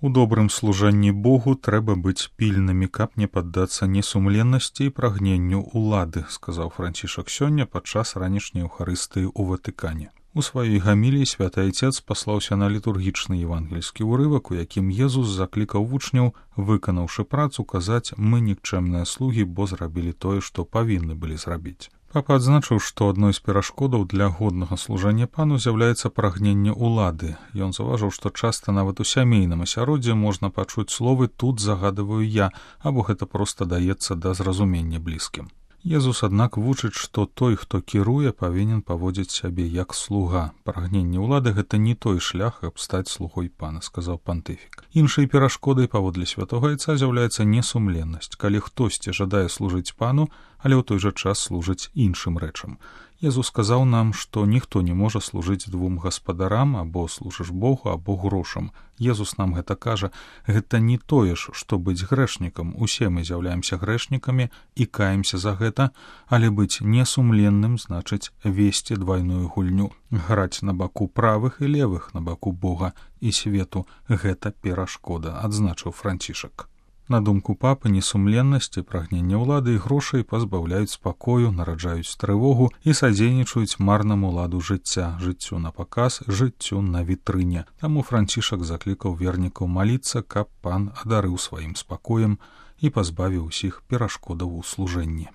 У добрым служанні Богу трэба быць пільнымі, каб не паддацца несумленнасці і прагненню улады, сказаў Францішак сёння падчас ранішняй Еўхарыстыі ў Ватыкане. У сваёй гаміліі святы айцец паслаўся на літургічны евангельскі ўрывак, у якім Езус заклікаў вучняў, выканаўшы працу, казаць: «Мы нікчэмныя слугі, бо зрабілі тое, што павінны былі зрабіць». Папа адзначыў, што адной з перашкодаў для годнага служання пану з'яўляецца прагненне ўлады. Ён заўважыў, што часта нават у сямейным асяроддзі можна пачуць словы «тут загадываю я», або гэта проста даецца да зразумення блізкім. Езус, аднак, вучыць, што той, хто кіруе, павінен паводзіць сябе як слуга. Прагненне ўлады — гэта не той шлях, каб стаць слугой пана, сказаў пантыфік. Іншай перашкодай, паводле святога айца, з'яўляецца несумленнасць, калі хтосьці жадае служыць пану, але ў той жа час служыць іншым рэчам. Езус сказаў нам, што ніхто не можа служыць двум гаспадарам, або служыш Богу, або грошам. Езус нам гэта кажа, гэта не тое ж, што быць грэшнікам. Усе мы з'яўляемся грэшнікамі і каемся за гэта, але быць несумленным значыць весці двайную гульню, граць на баку правых і левых, на баку Бога і свету. Гэта перашкода, адзначыў Францішак. На думку папы, несумленнасць і прагненне ўлады і грошай пазбаўляюць спакою, нараджаюць трывогу і садзейнічаюць марнаму ладу жыцця, жыццю на паказ, жыццю на вітрыне. Таму Францішак заклікаў вернікаў маліцца, каб пан адарыў сваім спакоем і пазбавіў усіх перашкодаў у служэнні.